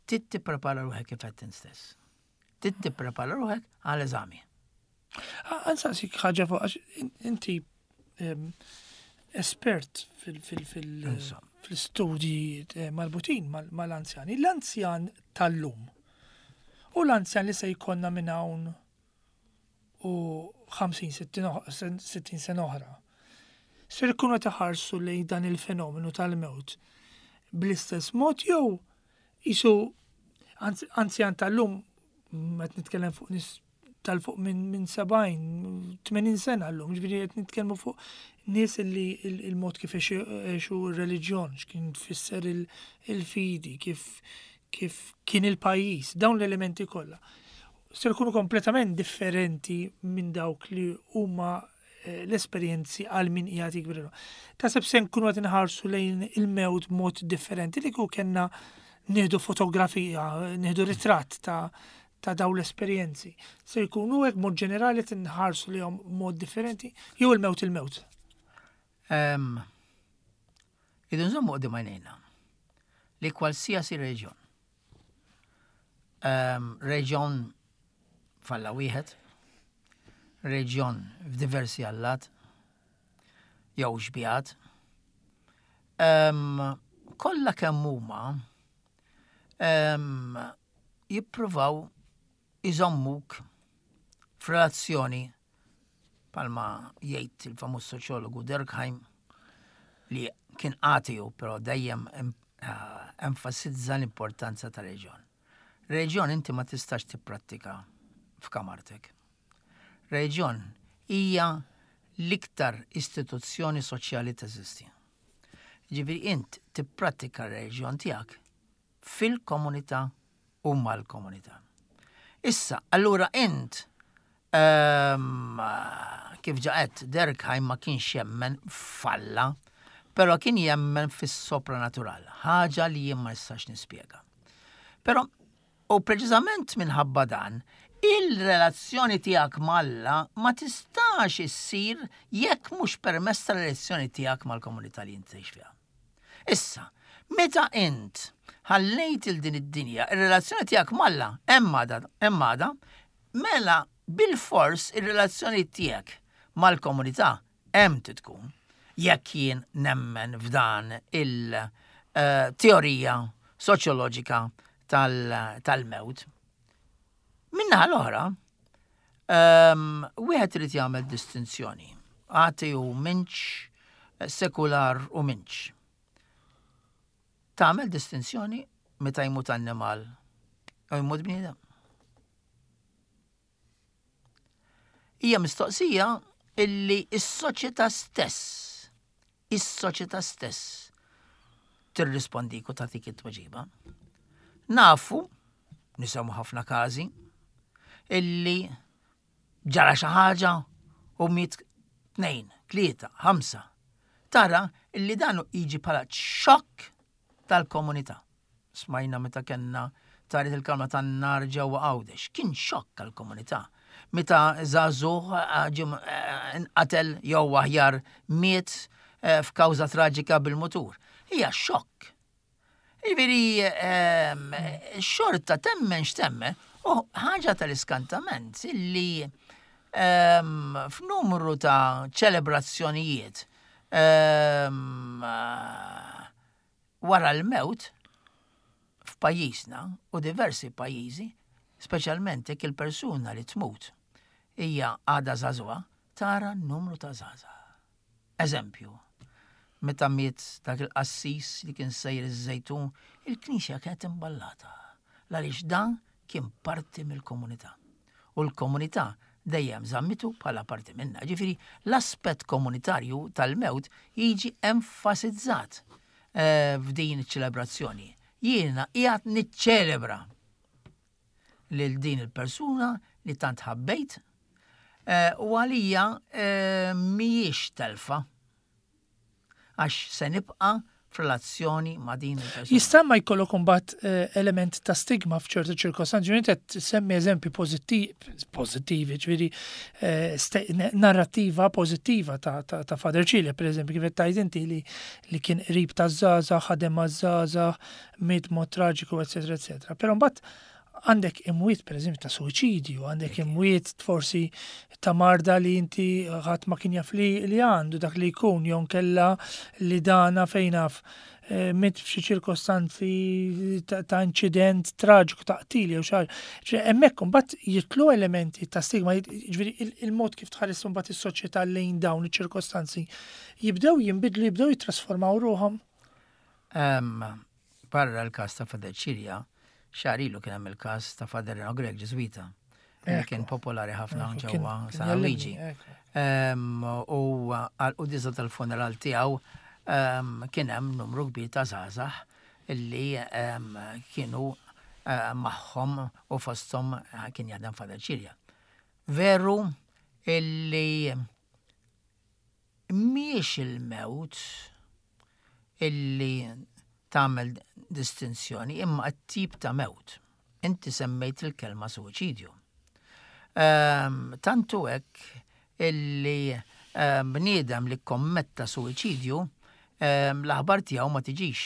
trid tipprepara ruħek kif qed stess. Trid tipprepara ruħek għal eżami. Ħa nsaqsik ħaġa fuq, għax inti espert fil-studji eh, marbutin mal-anzjani. L-anzjan tal-lum u l-anzjan li se jkollna minn hawn u ħamsin sittin sena oħra. Ser ikunu iħarsu lejn dan il-fenomenu tal-mewt bl-istess mod jew jisu anzjan tal-lum, qed nitkellem fuq nies tal-fuq minn min sebgħin, tmenin sena l-lum, ġifieri qed nitkellmu fuq nies li il-mod kif għexu r-reliġjon, x'kien tfisser il-fidi, kif kif kien il-pajjiż, dawn l-elementi kollha. Ser ikunu kompletament differenti minn dawk li huma eh, l-esperjenzi għal min qiegħed jikber. Taħseb se nkunu qed inħarsu lejn il-mewt mod differenti li kieku kellna nieħdu fotografija, nieħdu ritratt ta' ta' daw l-esperjenzi? Se jkunu hekk mod ġenerali tinħarsu lejhom mod differenti jew il-mewt il-mewt? Um, Irridu nżommu quddiem għajnejna li kwalsiasi reġjon. Um, reġjon f'Alla wieħed, reġjon f'diversi allat, jew xbihat, um, kollha kemm huma um, jippruvaw iżommuk f'relazzjoni, bħalma jgħid il-famuż soċjologu Durkheim, li kien ateu, però dejjem eh, enfasizza l-importanza ta' reġjon. Reġjon inti ma tistax tipprattika f'kamartek. Reġjon hija l-iktar istituzzjoni soċjali teżisti. Ġifieri int tipprattika r-reġjon tiegħek fil-komunità u mal-komunità. Issa, allura int, um, kif ġa għedt, Durkheim ma kienx jemmen f'Alla, però kien jemmen fis-sopranatural, ħaġa li jien ma nistax nispjega. Però, u preċiżament minħabba dan, il-relazzjoni tiegħek m'Alla ma tistax issir jekk mhux permezz tal-relazzjoni tiegħek mal-komunità li inti tgħix fiha. Issa, meta int ħallejt il din id-dinja, il-relazzjoni tiegħek m'Alla hemm għadha, mela bil-fors il-relazzjoni tiegħek mal-komunità hemm tkun. Jekk jien nemmen f'dan il-teorija soċjoloġika tal-mewt. Min-naħa l-oħra, wieħed irid jagħmel distinzjoni. Ateu minx, sekular u minx. Tagħmel distinzjoni meta jmut annimal u jmut bniedem? Hija mistoqsija illi s-soċjetà stess, is-soċjetà stess tirrispondik u tagħtik it-tweġiba. Nafu, nisimgħu ħafna każi, illi ġara xi ħaġa u miet tnejn, tlieta, ħamsa. Tara illi dan jiġi bħala xokk tal-komunità. Smajna meta kellna taret il-kamra tan-nar ġewwa Għawdex. Kien xokk għall-komunità. Meta żagħżugħ nqatel jew aħjar miet eh, f'kawża traġika bil-mutur. Hija xokk. Jiġifieri ehm, xorta temmen x'temmen, u ħaġa tal-iskantament illi ehm, f'numru ta' ċelebrazzjonijiet ehm, wara l-mewt f'pajjiżna u diversi pajjiżi, speċjalment jekk il-persuna li tmut hija għadha żagħżugħa, tara n-numru ta' żgħażagħ. Eżempju, meta miet dak il-qassis li kien sejjer iż-Żejtun, il-knisja kienet imballata. Għaliex dan kien parti mill-komunità. U l-komunità dejjem żammitu bħala parti minna. Ġifieri l-aspett komunitarju tal-mewt jiġi enfasizzat eh, f'din iċ-ċelebrazzjoni. Jiena qiegħed niċċelebra lil din il-persuna li tant ħabbejt, Eh, U għalija eh, mhijiex telfa. Għax se nibqa' f'relazzjoni ma' din il-persuna. Jista' ma jkollok imbagħad eh, element ta' stigma f'ċertu ċirkostanzi, ġifieri qed semmi eżempji pożittivi, ġifieri eh, ste- narrattiva pożittiva ta' ta' ta' Father Cilia, per eżempju, kif qed tgħid inti li li kien qrib ta' żgħażagħ, ħadem ma' żgħażagħ, miet mod traġiku, eċetera, eċetera. Però mbagħad għandek imwiet per eżempju ta' suwiċidju, għandek imwiet forsi ta' marda li inti ħadd ma kien jaf li li għandu dak li jkun jew kella li dana fejn naf eh, miet f'xi ċirkostanzi ta' ta' inċident traġiku ta' qtil jew xi ħaġa. Ġifieri hemmhekk imbagħad jitlu elementi ta' stigma, ġifieri il- il-mod kif tħares imbagħad is-soċjetà lejn dawn iċ-ċirkostanzi jibdew jinbidlu, jibdew jittrasformaw ruħhom. Em, Barra l-kas ta' Father Cilia, xahar ilu kien hemm il-kas ta' Father Reno Grech Ġiżwita, li Ekku. kien popolari ħafna Ekku, ġewwa kien- kien San Luigi. jgħallimni, ekku. Em, U għal-quddiesa tal-funeral tiegħu em, kien hemm numru kbir ta' żgħażagħ illi em, kienu eh, magħhom u fosthom eh, kien jaħdem Father Cilia. Veru illi mhijiex il-mewt illi tagħmel distinzjoni imma t-tip ta' mewt. Inti semmejt il-kelma suwiċidju. Um, tantu hekk illi um, bniedem li kommetta suwiċidju um, l-aħbar tiegħu ma tiġix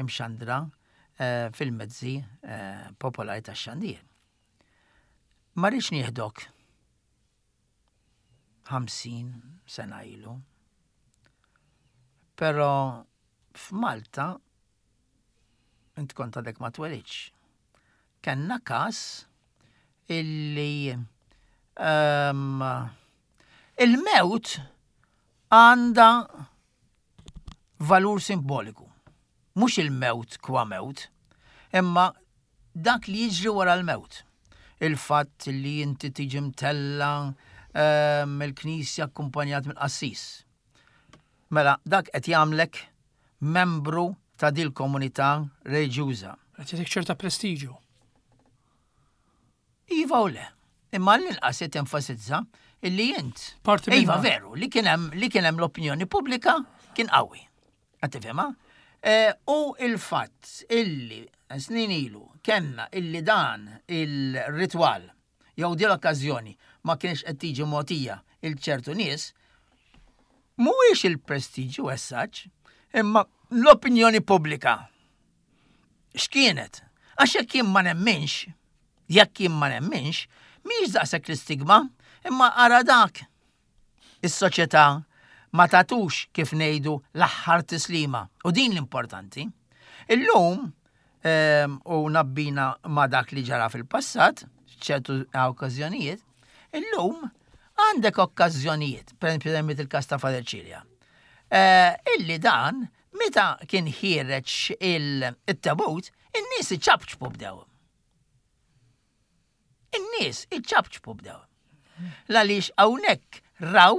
imxandra uh, fil-mezzi uh, popolari tax-xandir. Ma rridx nieħdok ħamsin sena ilu. Però f'Malta int kont għadek ma twelidx. Kenna kas illi um, il-mewt għanda valur simboliku. Mhux il-mewt kwa mewt, imma dak li jiġri wara l-mewt. Il-fatt li inti tiġi mtella um, mill-knisja akkumpanjat mill-qassis. Mela, dak qed jagħmlek membru ta' dil komunità reliġjuża. Qed jagħtik ċerta prestiġju. Iva u le. Imma l-inqas qed enfasizza illi int. Parti Iva minna. veru, li kien hemm li kien hemm l-opinjoni pubblika kien qawwi. Qed tifhimha? Eh, U il-fatt illi snin ilu kellna illi dan il-ritwal jew din l-okkażjoni ma kienx qed tiġi mogħtija il ċertu nies, mhuwiex il-prestiġju as such, imma l-opinjoni pubblika. X'kienet? Għax jekk jien ma nemminx, jekk jien ma nemminx, mhix daqshekk l-istigma, imma ara dak. Is-soċjetà ma tatux kif ngħidu l-aħħar tislima. U din l-importanti. Illum, ehm, u nabbina ma dak li ġara fil-passat, ċertu okkażjonijiet, illum għandek okkażjonijiet, per esempio semmejt il-kas ta' Father Cilia, eh, illi dan, meta kien ħiereġ il-tabut, in-nies iċapċpu bdew. In-nies iċapċpu bdew. Għaliex hawnhekk raw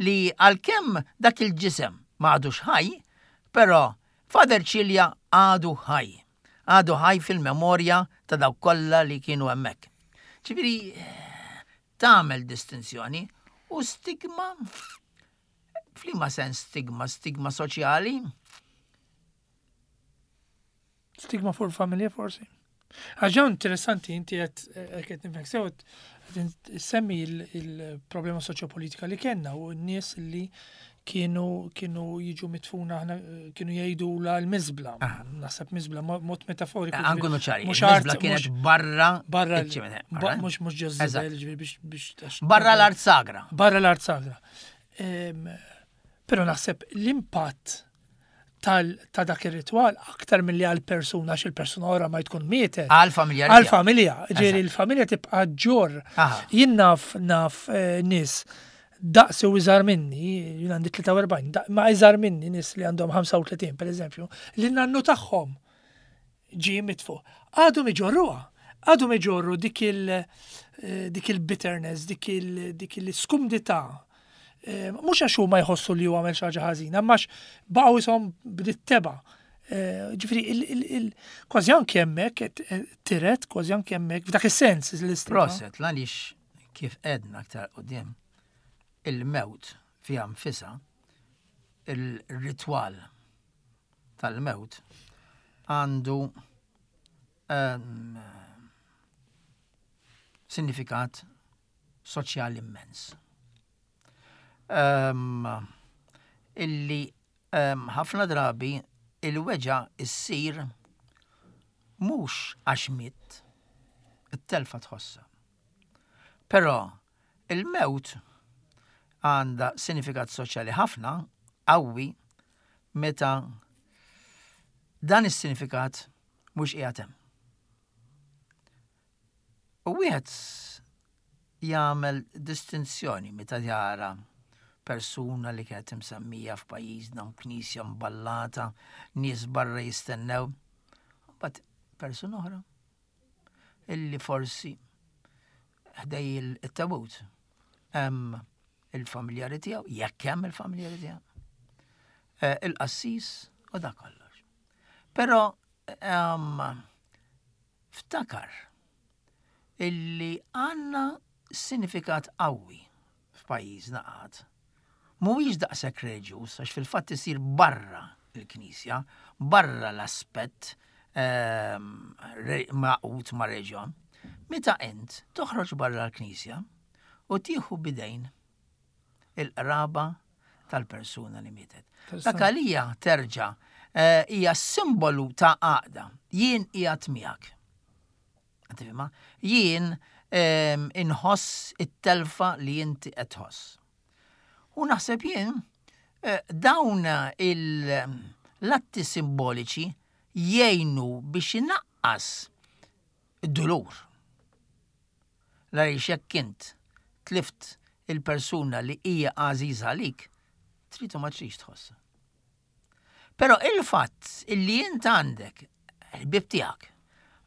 li għalkemm dak il-ġisem ma għadux ħaj, però Father Cilia għadu ħaj. Għadu ħaj fil-memorja ta' dawk kollha li kienu hemmhekk. Ġifieri tagħmel distinzjoni u stigma f'liema sens stigma, stigma soċjali, Stigma fuq il-familja forsi. Ħaġa interessanti inti qed qed nifhmek sew qed semmi il-problema soċjopolitika li kellna u n-nies li kienu kienu jiġu mitfuna aħna kienu jgħidu la l-miżbla. Naħseb miżbla mod metaforiku. Ħa nkunu ċari, Mhux il-miżbla art, kienet mhux- barra barra iċ-ċimiter, ba- barra? mhux mhux ġo Eżatt. żibel, ġifieri biex biex Barra l-art sagra. Barra l-art sagra. Em, Però naħseb l-impatt tal ta' dak ir-ritwal aktar milli għal persuna għax il-persuna ora ma tkun mietet. Għal familja. Għal familja, ġifieri Eżatt. il-familja tibqa' ġor. Aha. Jien naf naf eh, nies daqsi u iżgħar minni, jien għandi tlieta u erbgħin, da- ma iżgħar minni nies li għandhom ħamsa u tletin per eżempju, li nannu tagħhom ġie mitfu. Għadhom iġorruha, għadhom iġorru dik il eh, dik il-bitterness, dik il dik il-skumdità. Eh, Mhux għax huma jħossu li hu għamel xi ħaġa ħażina, imma għax baqgħu ishom bdiet teba. Eh, Ġifieri il- il- il- kważi anke hemmhekk qed- eh, tiret, kważi anke hemmhekk f'dak is-sens l-istigma. Proset, għaliex Kif għedna aktar quddiem, il-mewt fiha nfisha, il-ritwal tal-mewt għandu um, sinifikat soċjali immens. Um, illi um, ħafna drabi il-weġgħa issir mhux għax miet, it-telfa tħossa. Però il-mewt għandha sinifikat soċjali ħafna qawwi meta dan is-sinifikat mhux qiegħed hemm. U wieħed jagħmel distinzjoni meta jara persuna li kienet imsemmija f'pajjiżna, knisja mballata, nies barra jistennew. But persuna oħra illi forsi ħdejn il-tabut hemm il-familjari tiegħu, jekk hemm il-familjari tiegħu, eh, il-qassis u da kollox. Però um, ftakar illi għandna sinifikat qawwi f'pajjiżna għad. Mhuwiex daqshekk reliġjuż għax fil-fatt isir barra il-Knisja, barra l-aspett ehm, magħqud ma' reġjon. Meta int toħroġ barra l-Knisja u tieħu b'idejn il-qraba tal-persuna li mietet. Dak għalija terġa' eh, hija simbolu ta' għaqda. Jien qiegħed miegħek. Tifhimha? Jien ehm, inħoss it-telfa li inti qed tħoss. U naħseb jien eh, dawn l-atti simboliċi jgħinu biex inaqqas id-dulur. Għaliex jekk int tlift il-persuna li hija għażiża għalik, trid u ma tridx tħossha. Però il-fatt illi int għandek il-ħbieb tiegħek,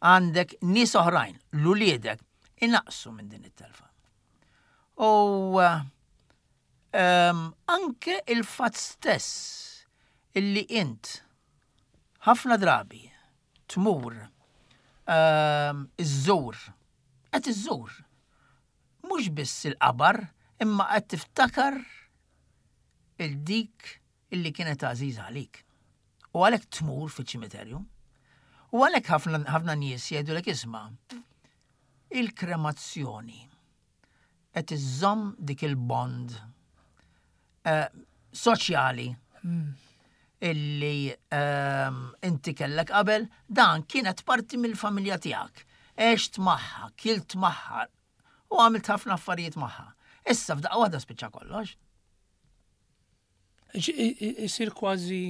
għandek nies oħrajn, l-uliedek, inaqsu minn din it-telfa. U um, anke il-fatt stess illi int ħafna drabi tmur um, iżżur, qed iżżur, mhux biss il-qabar, imma qed tiftakar il-dik illi kienet għażiża għalik. U għalhekk tmur fiċ-ċimiterju. U għalhekk ħafna ħafna nies jgħidulek isma' il-kremazzjoni qed iżżomm dik il-bond eh, soċjali illi ehm, inti kellek qabel, dan kienet parti mill-familja tiegħek. Għext magħha, kilt magħha u għamilt ħafna affarijiet magħha. Issa f'daqqa waħda spiċċa kollox. Isir kważi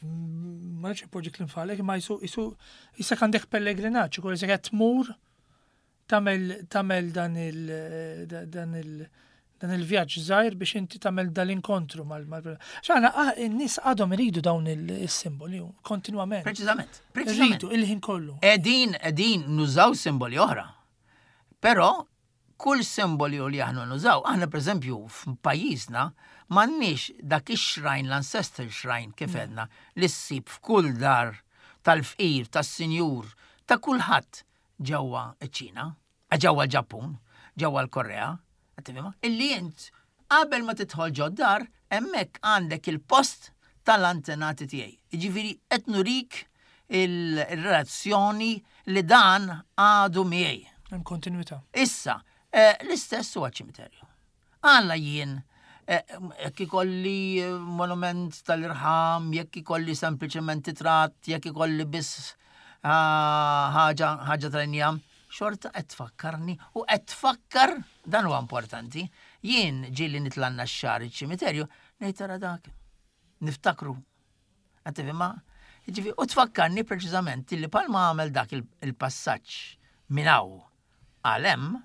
ma nafx poġġi kliem f'ħalqek, ma jisu jisu jisek għandek pellegrinaġġ, ukoll jisek qed tmur tagħmel tagħmel dan il dan il dan il-vjaġġ żgħir biex inti tagħmel dal-inkontru mal mal X'aħna ah, in-nies għadhom iridu dawn il-simboli kontinwament. Preċiżament. Preċiżament. Iridu il-ħin kollu. Edin, edin nużaw simboli oħra. Però kull simboli li aħna nużaw, aħna per eżempju f'pajjiżna m'għandniex dak ix-shrine, l-ancestral shrine kif għedna, li ssib f'kull dar tal-fqir, tas-sinjur, ta' kulħadd ġewwa ċ-Ċina, ġewwa l-Ġappun, ġewwa l-Korea, tifhimha? Illi int qabel ma tidħol ġod dar, hemmhekk għandek il-post tal-antenati tiegħi. Jiġifieri qed nurik il-relazzjoni li dan għadu miegħi. Hemm kontinwità. Issa, eh, l-istess huwa ċimiterju. Għalla jien, eh, jekk ikolli eh, monument tal-irħam, jekk ikolli sempliċement ritratt, jekk ikolli biss ah, ħaġa ħaġa tal-injam, xorta qed tfakkarni u qed tfakkar, dan huwa importanti, jien ġieli nitla' n-Naxxar iċ-ċimiterju, ngħid tara dak, niftakru. Qed tifhimha? Jiġifieri, u tfakkarni preċiżament li palma għamel dak il- il-passaġġ minn hawn għal hemm,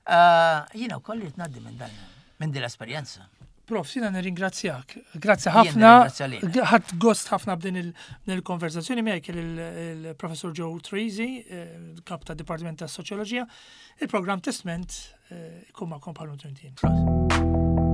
eh, jiena wkoll irid ngħaddi minn dan minn din l-esperjenza. Prof, jiena nirringrazzjak. Grazzi Jien ħafna. nirringrazzja lilek. Ħadt gost ħafna b'din il- din il-konversazzjoni miegħek il-professor Joe Treacy, eh, kap ta' Dipartiment ta' Soċjoloġija. Il-programm Testment eh, ikun magħkom bħal Trentien. Prosit.